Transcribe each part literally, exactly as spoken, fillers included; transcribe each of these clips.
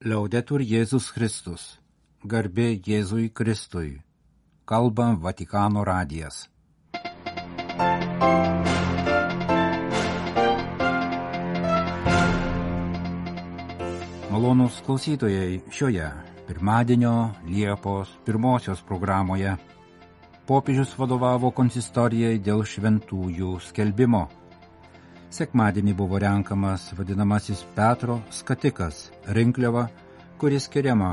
Liaudetur Jėzus Kristus. Garbė Jėzui Kristui. Kalba Vatikano radijas. Malonūs klausytojai, šioje pirmadienio Liepos pirmosios programoje popiežius vadovavo konsistorijai dėl šventųjų skelbimo. Sekmadienį buvo renkamas vadinamasis Petro skatikas rinkliava, kuris skiriama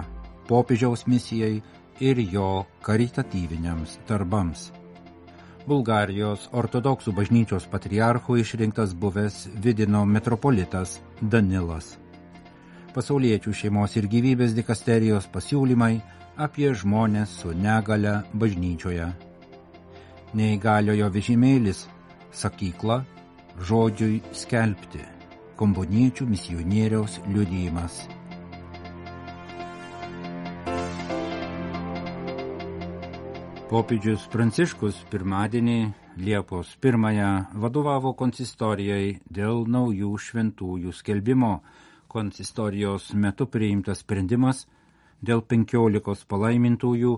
popiežiaus misijai ir jo karitatyviniams darbams. Bulgarijos ortodoksų bažnyčios patriarchu išrinktas buvęs Vidino metropolitas Danilas. Pasauliečių šeimos ir gyvybės dikasterijos pasiūlymai apie žmones su negale bažnyčioje. Neįgaliojo vežimėlis, sakykla, žodžiui skelbti, komboniečių misionieriaus liudijimas. Popiežius Pranciškus pirmadienį Liepos pirmąją vadovavo konsistorijai dėl naujų šventųjų skelbimo. Konsistorijos metu priimtas sprendimas dėl penkiolikos palaimintųjų,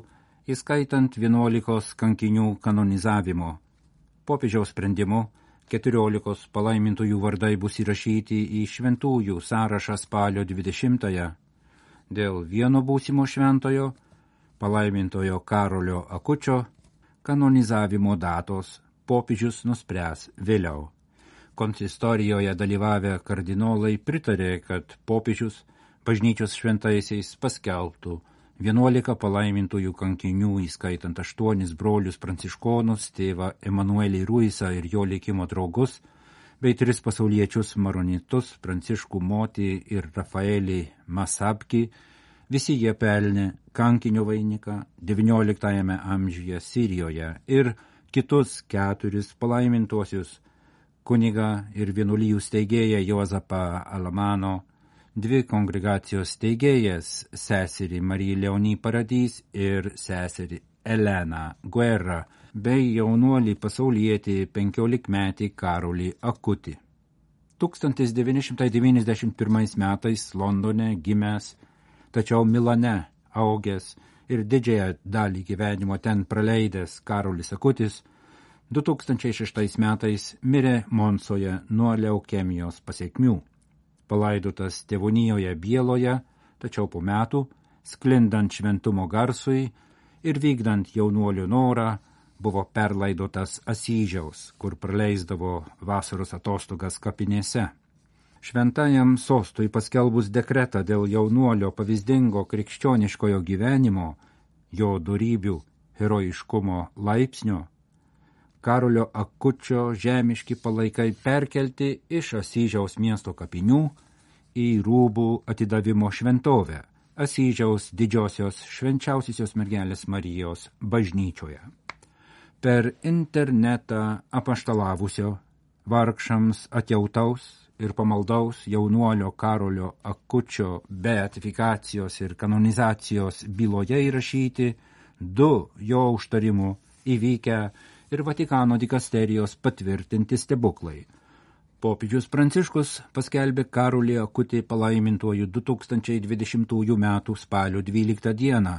įskaitant vienuolikos kankinių kanonizavimo. Popiežiaus sprendimu keturiolikos palaimintųjų vardai bus įrašyti į šventųjų sąrašą spalio dvidešimtąją. Dėl vieno būsimo šventojo, palaimintojo Karolio Akučio, kanonizavimo datos popiežius nuspręs vėliau. Konsistorijoje dalyvavę kardinolai pritarė, kad popiežius bažnyčios šventaisiais paskelbtų vienuolika palaimintųjų kankinių, įskaitant aštuonis brolius pranciškonus, tėvą Emanuelį Ruisą ir jo likimo draugus, bei tris pasauliečius maronitus, Pranciškų Motį ir Rafaelį Masabkį. Visi jie pelnė kankinio vainiką devynioliktajame amžiuje Sirijoje ir kitus keturis palaimintuosius, kunigą ir vienuolijų steigėją Juozapą Alamano, dvi kongregacijos steigėjas, seserį Mariją Leonį Paradys ir seserį Eleną Guerra, bei jaunuolį pasaulietį penkiolikmetį Karolį Akutį. tūkstantis devyni šimtai devyniasdešimt pirmais metais Londone gimęs, tačiau Milane augęs ir didžiąją dalį gyvenimo ten praleidęs Karolis Akutis, du tūkstančiai šeštais metais mirė Monsoje nuo leukemijos pasekmių. Palaidotas tėvonijoje Bieloje, tačiau po metų, sklindant šventumo garsui ir vykdant jaunuolių norą, buvo perlaidotas Asyžiaus, kur praleisdavo vasaros atostogas kapinėse. Šventajam sostui paskelbus dekretą dėl jaunuolio pavyzdingo krikščioniškojo gyvenimo, jo dorybių, herojiškumo laipsnio, Karolio Akučio žemiški palaikai perkelti iš Asyžiaus miesto kapinių į Rūbų atidavimo šventovę, Asyžiaus didžiosios švenčiausiosios mergelės Marijos bažnyčioje. Per internetą apaštalavusio, vargšams atjautaus ir pamaldaus jaunuolio Karolio Akučio beatifikacijos ir kanonizacijos byloje įrašyti du jo užtarimų įvykę ir Vatikano dikasterijos patvirtinti stebuklai. Popiežius Pranciškus paskelbė Karolį Akutį palaimintuoju du tūkstančiai dvidešimtųjų metų spalio dvyliktą dieną.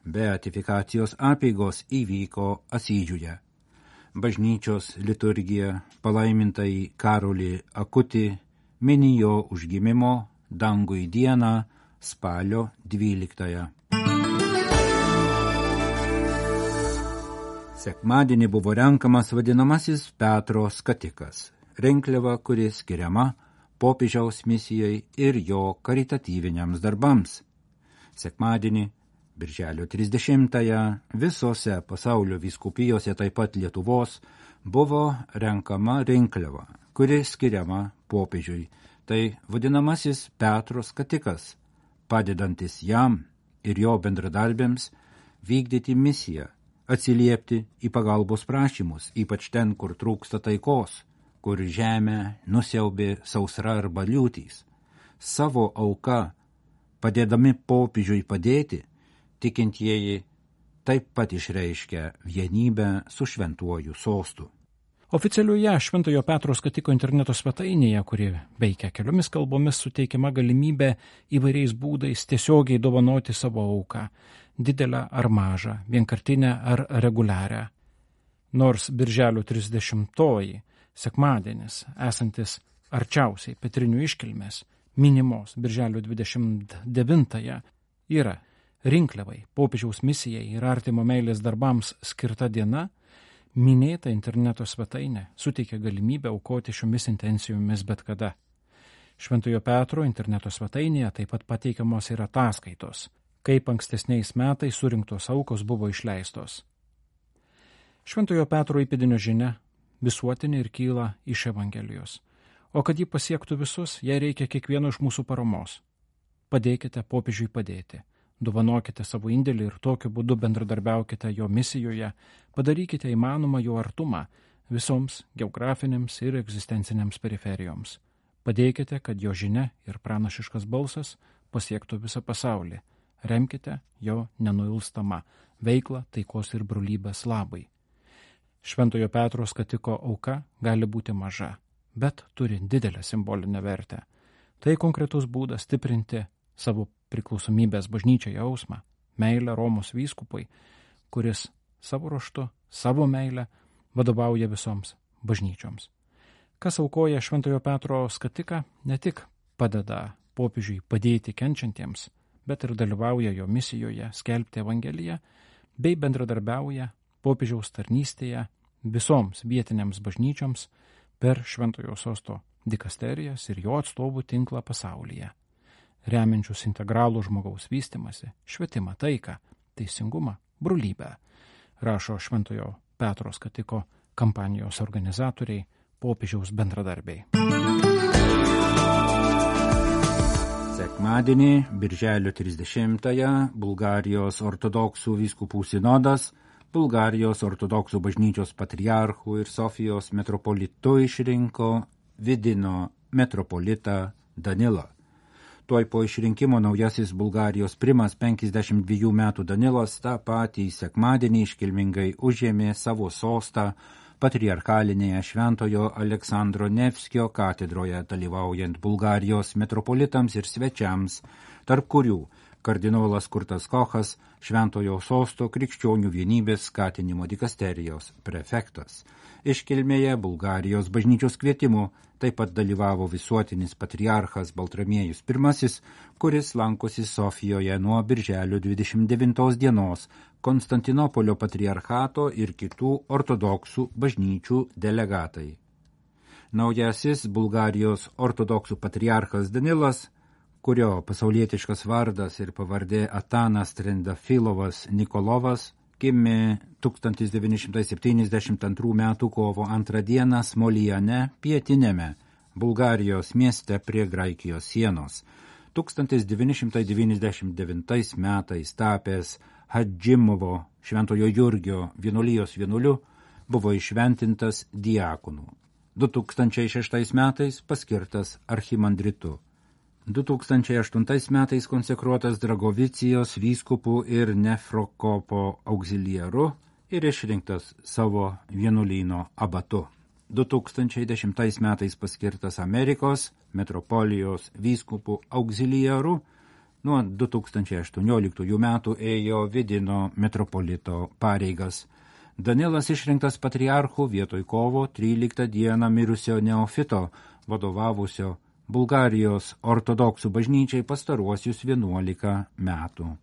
Beatifikacijos apeigos įvyko Asyžiuje. Bažnyčios liturgija palaimintai Karolį Akutį mini jo užgimimo dangui dieną spalio dvyliktąją. Sekmadienį buvo renkamas vadinamasis Petro skatikas, rinkliava, kuris skiriama popiežiaus misijai ir jo karitatyviniams darbams. Sekmadienį, birželio trisdešimtąją, visose pasaulio vyskupijose, taip pat Lietuvos, buvo renkama rinkliava, kuri skiriama popiežiui. Tai vadinamasis Petro skatikas, padedantis jam ir jo bendradarbėms vykdyti misiją, atsiliepti į pagalbos prašymus, ypač ten, kur trūksta taikos, kur žemę nusiaubė sausra arba liūtys. Savo auka, padėdami popiežiui padėti, tikintieji taip pat išreiškia vienybę su šventuoju sostu. Oficialioje Šventojo Petro skatiko interneto svetainėje, kuri veikia keliomis kalbomis, suteikiama galimybė įvairiais būdais tiesiogiai dovanoti savo auką, didelę ar mažą, vienkartinę ar reguliarią. Nors birželio trisdešimtoji, sekmadienis, esantis arčiausiai Petrinių iškilmės, minimos birželio dvidešimt devintąją, yra rinkliavai, popiežiaus misijai ir artimo meilės darbams skirta diena, minėta interneto svetainė suteikia galimybę aukoti šiomis intencijomis bet kada. Šventojo Petro interneto svetainėje taip pat pateikiamos ir ataskaitos, kaip ankstesniais metais surinktos aukos buvo išleistos. Šventojo Petro įpėdinio žinia visuotinė ir kyla iš Evangelijos, o kad ji pasiektų visus, jai reikia kiekvieno iš mūsų paramos. Padėkite popiežiui padėti. Dovanokite savo indėlį ir tokiu būdu bendradarbiaukite jo misijoje, padarykite įmanomą jo artumą visoms geografinėms ir egzistencinėms periferijoms. Padėkite, kad jo žinia ir pranašiškas balsas pasiektų visą pasaulį. Remkite jo nenuilstamą veiklą taikos ir brolybės labai. Šventojo Petro skatiko auka gali būti maža, bet turi didelę simbolinę vertę. Tai konkretus būdas stiprinti savo priklausomybės bažnyčiai jausmą, meilę Romos vyskupui, kuris savo ruožtu, savo meilę vadovauja visoms bažnyčioms. Kas aukoja Šventojo Petro skatiką, ne tik padeda popiežiui padėti kenčiantiems, bet ir dalyvauja jo misijoje skelbti Evangeliją, bei bendradarbiauja popiežiaus tarnystėje visoms vietinėms bažnyčioms per Šventojo sosto dikasterijas ir jo atstovų tinklą pasaulyje, remiančius integralų žmogaus vystimąsi, švietimą, taiką, teisingumą, brolybę, rašo Šventojo Petro skatiko kampanijos organizatoriai, popiežiaus bendradarbiai. Sekmadienį, birželio trisdešimtąją, Bulgarijos ortodoksų vyskupų sinodas Bulgarijos ortodoksų bažnyčios patriarchų ir Sofijos metropolitu išrinko Vidino metropolitą Danilą. Tuoj po išrinkimo naujasis Bulgarijos primas penkiasdešimt dviejų metų Danilas tą patį sekmadienį iškilmingai užėmė savo sostą patriarchalinėje Šventojo Aleksandro Nevskio katedroje, dalyvaujant Bulgarijos metropolitams ir svečiams, tarp kurių kardinolas Kurtas Kochas, Šventojo sosto krikščionių vienybės skatinimo dikasterijos prefektas. Iškilmėje Bulgarijos bažnyčios kvietimu taip pat dalyvavo visuotinis patriarchas Baltramiejus pirmasis, kuris lankosi Sofijoje nuo birželio dvidešimt devintos dienos, Konstantinopolio patriarchato ir kitų ortodoksų bažnyčių delegatai. Naujasis Bulgarijos ortodoksų patriarchas Danilas, kurio pasaulietiškas vardas ir pavardė Atanas Trendafilovas Nikolovas, gimė tūkstantis devyni šimtai septyniasdešimt antrų metų kovo antrą dieną Smolijane, pietiniame Bulgarijos mieste prie Graikijos sienos. tūkstantis devyni šimtai devyniasdešimt devintais metais tapęs Hadžimovo Šventojo Jurgio vienuolijos vienuoliu, buvo išventintas diakonu. du tūkstančiai šeštais metais paskirtas archimandritu. du tūkstančiai aštuntais metais konsekruotas Dragovicijos vyskupų ir Nefrokopo auxiliaru ir išrinktas savo vienuolyno abatu. du tūkstančiai dešimtais metais paskirtas Amerikos metropolijos vyskupų auxiliaru, nuo du tūkstančiai aštuonioliktųjų metų ėjo Vidino metropolito pareigas. Danilas išrinktas patriarchu vietoj kovo tryliktą dieną mirusio Neofito, vadovavusio Bulgarijos ortodoksų bažnyčiai pastaruosius vienuolika metų.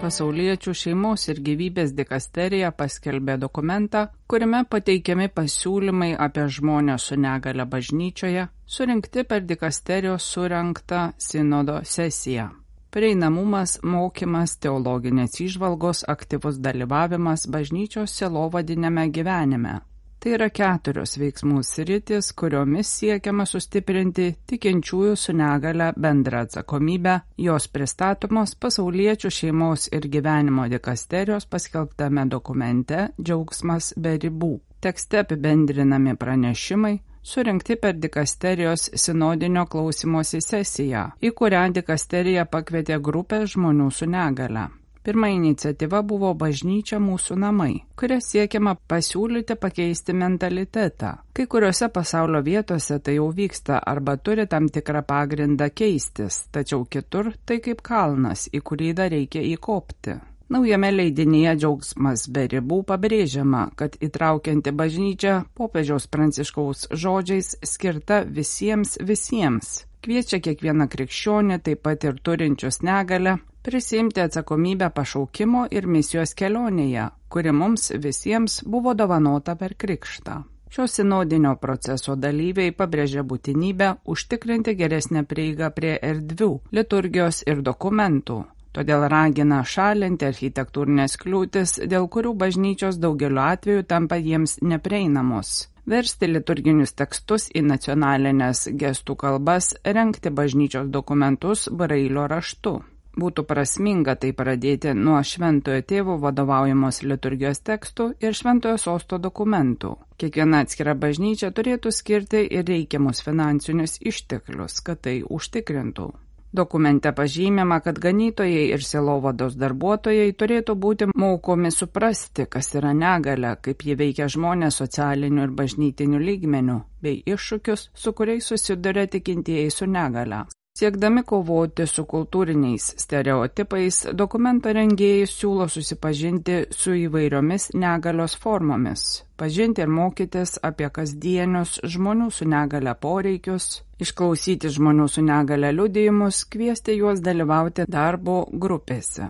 Pasauliečių šeimos ir gyvybės dikasterija paskelbė dokumentą, kuriame pateikiami pasiūlymai apie žmonės su negale bažnyčioje, surinkti per dikasterijos surengtą sinodo sesiją. Prieinamumas, mokymas, teologinės įžvalgos, aktyvus dalyvavimas bažnyčios sielovadiniame gyvenime. Tai yra keturios veiksmų sritys, kuriomis siekiama sustiprinti tikinčiųjų su negale bendrą atsakomybę, jos pristatomos pasauliečių šeimos ir gyvenimo dikasterijos paskelbtame dokumente Džiaugsmas be ribų. Tekste apibendrinami pranešimai, surinkti per dikasterijos sinodinio klausymosi sesiją, į kurią dikasterija pakvietė grupę žmonių su negale. Pirma iniciatyva buvo Bažnyčia mūsų namai, kuria siekiama pasiūlyti pakeisti mentalitetą. Kai kuriuose pasaulio vietose tai jau vyksta arba turi tam tikrą pagrindą keistis, tačiau kitur tai kaip kalnas, į kurį dar reikia įkopti. Naujame leidinyje Džiaugsmas be ribų pabrėžiama, kad įtraukianti bažnyčia popiežiaus Pranciškaus žodžiais skirta visiems visiems. Kviečia kiekvieną krikščionį, taip pat ir turinčius negalią, prisiimti atsakomybę pašaukimo ir misijos kelionėje, kuri mums visiems buvo dovanota per krikštą. Šio sinodinio proceso dalyviai pabrėžia būtinybę užtikrinti geresnę prieigą prie erdvių, liturgijos ir dokumentų. Todėl ragina šalinti architektūrinės kliūtis, dėl kurių bažnyčios daugeliu atveju tampa jiems neprieinamos. Versti liturginius tekstus į nacionalinės gestų kalbas, rengti bažnyčios dokumentus brailio raštu. Būtų prasminga tai pradėti nuo Šventojo Tėvo vadovaujamos liturgijos tekstų ir Šventojo Sosto dokumentų. Kiekviena atskira bažnyčia turėtų skirti ir reikiamus finansinius išteklius, kad tai užtikrintų. Dokumente pažymima, kad ganytojai ir sielovados darbuotojai turėtų būti mokomi suprasti, kas yra negalia, kaip ji veikia žmonės socialiniu ir bažnytiniu lygmeniu, bei iššūkius, su kuriais susiduria tikintieji su negalia. Siekdami kovoti su kultūriniais stereotipais, dokumento rengėjai siūlo susipažinti su įvairiomis negalios formomis, pažinti ir mokytis apie kasdienius žmonių su negalia poreikius, išklausyti žmonių su negalia liudijimus, kviesti juos dalyvauti darbo grupėse.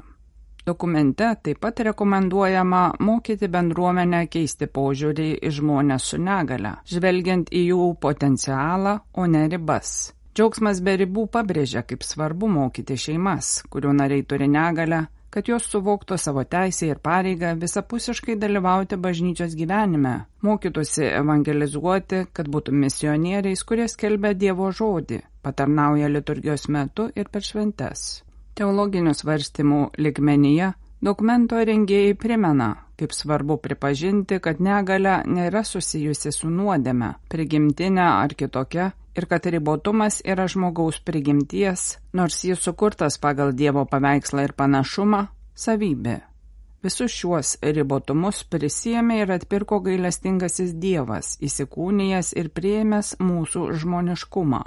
Dokumente taip pat rekomenduojama mokyti bendruomenę keisti požiūrį į žmonės su negalia, žvelgiant į jų potencialą, o ne ribas. Džiaugsmas be ribų pabrėžia, kaip svarbu mokyti šeimas, kurių nariai turi negalią, kad jos suvoktų savo teisę ir pareigą visapusiškai dalyvauti bažnyčios gyvenime, mokytųsi evangelizuoti, kad būtų misionieriais, kurie skelbia Dievo žodį, patarnauja liturgijos metu ir per šventes. Teologinių svarstymų lygmenyje dokumento rengėjai primena, kaip svarbu pripažinti, kad negalia nėra susijusi su nuodėme, prigimtinė ar kitokia, ir kad ribotumas yra žmogaus prigimties, nors jis sukurtas pagal Dievo paveikslą ir panašumą, savybė. Visus šiuos ribotumus prisiėmė ir atpirko gailestingasis Dievas, įsikūnijęs ir priėmęs mūsų žmoniškumą.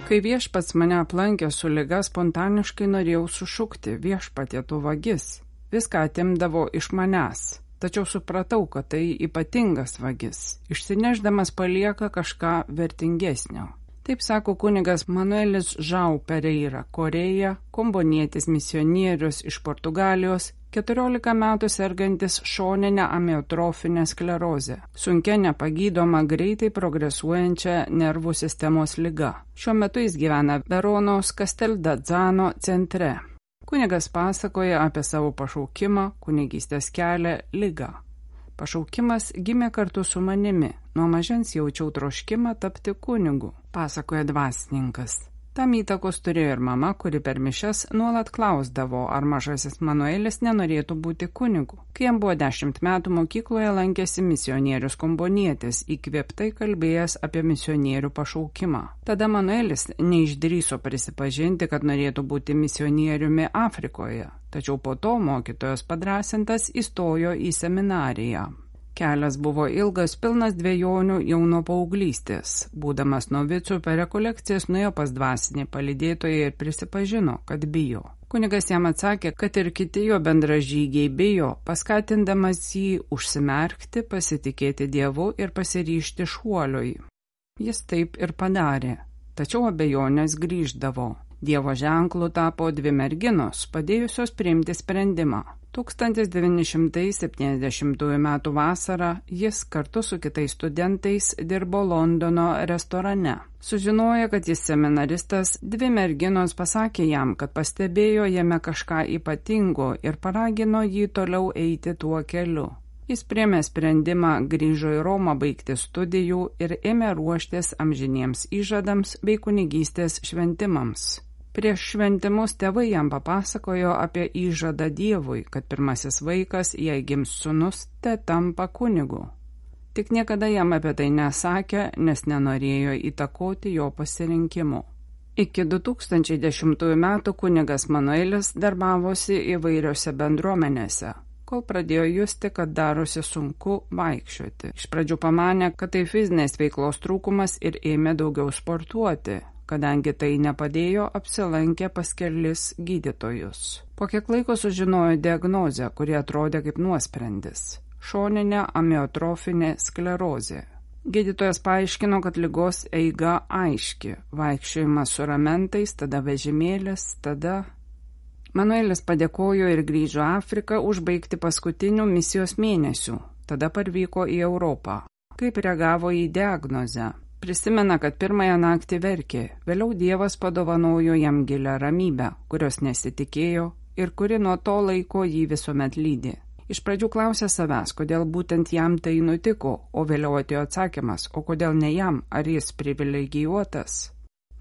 Kai viešpats mane aplankė su liga, spontaniškai norėjau sušukti: viešpatie, tu vagis. Viską atimdavo iš manęs. Tačiau supratau, kad tai ypatingas vagis, išsineždamas palieka kažką vertingesnio. Taip sako kunigas Manuelis Žau Pereira, Korėja, kombonietis misionierius iš Portugalijos, keturiolika metų sergantis šoninę amiotrofinę sklerozę, sunkia nepagydoma greitai progresuojančia nervų sistemos liga. Šiuo metu jis gyvena Veronos Casteldazzano centre. Kunigas pasakoja apie savo pašaukimą, kunigystės kelią, ligą. Pašaukimas gimė kartu su manimi. Nuo mažens jaučiau troškimą tapti kunigu, pasakoja dvasininkas. Tam įtakos turėjo ir mama, kuri per mišias nuolat klausdavo, ar mažasis Manuelis nenorėtų būti kunigu. Kai jam buvo dešimt metų, mokykloje lankėsi misionierius kombonietis, įkvėptai kalbėjęs apie misionierių pašaukimą. Tada Manuelis neišdrįso prisipažinti, kad norėtų būti misionieriumi Afrikoje, tačiau po to mokytojos padrąsintas įstojo į seminariją. Kelias buvo ilgas, pilnas dvejonių jau nuo paauglystės. Būdamas novicų per rekolekcijas nuėjo pas dvasinį palydėtoją ir prisipažino, kad bijo. Kunigas jam atsakė, kad ir kiti jo bendražygiai bijo, paskatindamas jį užsimerkti, pasitikėti Dievu ir pasiryžti šuoliui. Jis taip ir padarė, tačiau abejonės grįždavo. Dievo ženklų tapo dvi merginos, padėjusios priimti sprendimą. tūkstantis devyni šimtai septyniasdešimtųjų metų vasarą jis kartu su kitais studentais dirbo Londono restorane. Sužinoję, kad jis seminaristas, dvi merginos pasakė jam, kad pastebėjo jame kažką ypatingo ir paragino jį toliau eiti tuo keliu. Jis priėmė sprendimą, grįžo į Romą baigti studijų ir ėmė ruoštis amžiniems įžadams bei kunigystės šventimams. Prieš šventimus tėvai jam papasakojo apie įžadą Dievui, kad pirmasis vaikas, jei gims sūnus, te tampa kunigu. Tik niekada jam apie tai nesakė, nes nenorėjo įtakoti jo pasirinkimų. Iki du tūkstančiai dešimtųjų metų kunigas Manuelis darbavosi įvairiose bendruomenėse, kol pradėjo justi, kad darosi sunku vaikščioti. Iš pradžių pamanė, kad tai fizinės veiklos trūkumas ir ėmė daugiau sportuoti. Kadangi tai nepadėjo, apsilankė pas kelis gydytojus. Po kiek laiko sužinojo diagnozę, kuri atrodė kaip nuosprendis – šoninė amiotrofinė sklerozė. Gydytojas paaiškino, kad ligos eiga aiški – vaikščiojimas su ramentais, tada vežimėlis, tada... Manuelis padėkojo ir grįžo Afriką užbaigti paskutinių misijos mėnesių, tada parvyko į Europą. Kaip reagavo į diagnozę? Prisimena, kad pirmąją naktį verkė, vėliau Dievas padovanojo jam gilią ramybę, kurios nesitikėjo ir kuri nuo to laiko jį visuomet lydi. Iš pradžių klausė savęs, kodėl būtent jam tai nutiko, o vėliau atėjo atsakymas, o kodėl ne jam, ar jis privilegijuotas.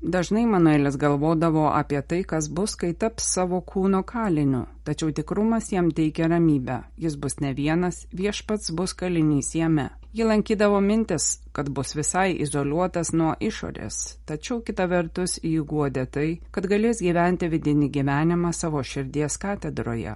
Dažnai Manuelis galvodavo apie tai, kas bus, kai taps savo kūno kaliniu, tačiau tikrumas jam teikia ramybę, jis bus ne vienas, viešpats bus kalinys jame. Jį lankydavo mintis, kad bus visai izoliuotas nuo išorės, tačiau kita vertus jį guodė tai, kad galės gyventi vidinį gyvenimą savo širdies katedroje.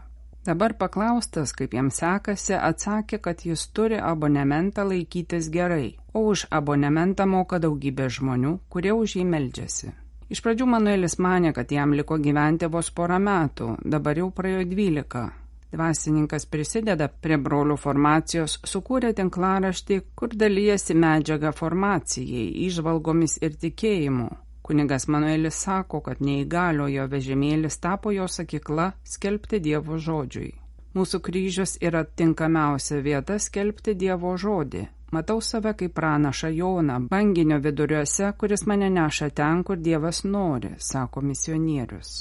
Dabar paklaustas, kaip jam sekasi, atsakė, kad jis turi abonementą laikytis gerai, o už abonementą moka daugybė žmonių, kurie už jį meldžiasi. Iš pradžių Manuelis manė, kad jam liko gyventi vos porą metų, dabar jau praėjo dvylika. Dvasininkas prisideda prie brolių formacijos, sukūrė tinklaraštį, kur dalyjasi medžiagą formacijai, įžvalgomis ir tikėjimu. Kunigas Manuelis sako, kad neįgaliojo vežimėlis tapo jo sakykla skelbti Dievo žodžiui. Mūsų kryžius yra tinkamiausia vieta skelbti Dievo žodį. Matau save kaip pranašą Joną, banginio viduriuose, kuris mane neša ten, kur Dievas nori, sako misionierius.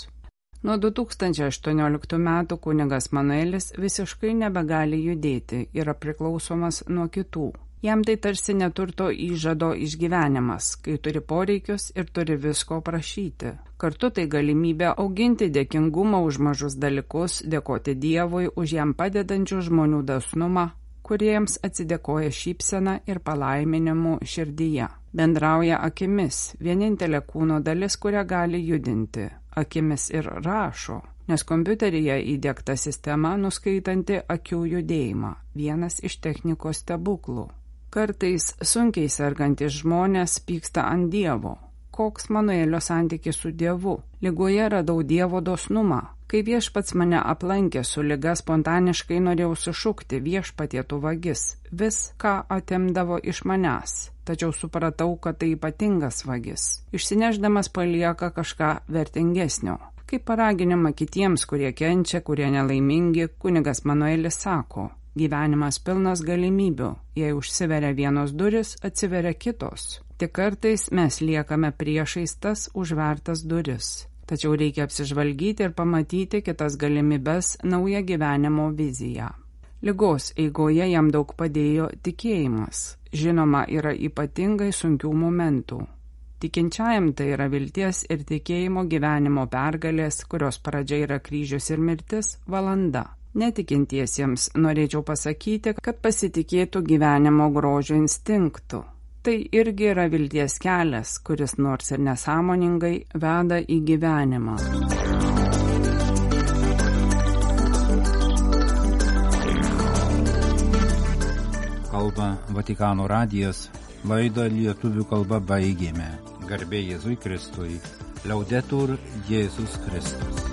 Nuo du tūkstančiai aštuonioliktų metų kunigas Manuelis visiškai nebegali judėti, yra priklausomas nuo kitų. Jam tai tarsi neturto įžado išgyvenimas, kai turi poreikius ir turi visko prašyti. Kartu tai galimybė auginti dėkingumą už mažus dalykus, dėkoti Dievui už jam padedančių žmonių dosnumą, kuriems atsidėkoja šypsena ir palaiminimu širdyje. Bendrauja akimis, vienintelė kūno dalis, kurią gali judinti. Akimis ir rašo, nes kompiuteryje įdiegta sistema nuskaitanti akių judėjimą, vienas iš technikos stebuklų. Kartais sunkiai sergantys žmonės pyksta ant Dievo. Koks Manuelio santykis su Dievu? Ligoje radau Dievo dosnumą. Kai viešpats mane aplankė su liga, spontaniškai norėjau sušukti viešpatie tu vagis, vis ką atimdavo iš manęs. Tačiau supratau, kad tai ypatingas vagis. Išsineždamas palieka kažką vertingesnio. Kaip paraginimą kitiems, kurie kenčia, kurie nelaimingi, kunigas Manuelis sako, gyvenimas pilnas galimybių. Jei užsiveria vienos duris, atsiveria kitos. Tik kartais mes liekame priešais tas užvertas duris. Tačiau reikia apsižvalgyti ir pamatyti kitas galimybes, naują gyvenimo viziją. Ligos eigoje jam daug padėjo tikėjimas. Žinoma, yra ypatingai sunkių momentų. Tikinčiajam tai yra vilties ir tikėjimo gyvenimo pergalės, kurios pradžia yra kryžius ir mirtis, valanda. Netikintiesiems norėčiau pasakyti, kad pasitikėtų gyvenimo grožio instinktu. Tai irgi yra vilties kelias, kuris nors ir nesąmoningai veda į gyvenimą. Kalba Vatikano radijas, laidą lietuvių kalba baigėme. Garbė Jėzui Kristui, Laudetur Jėzus Kristus.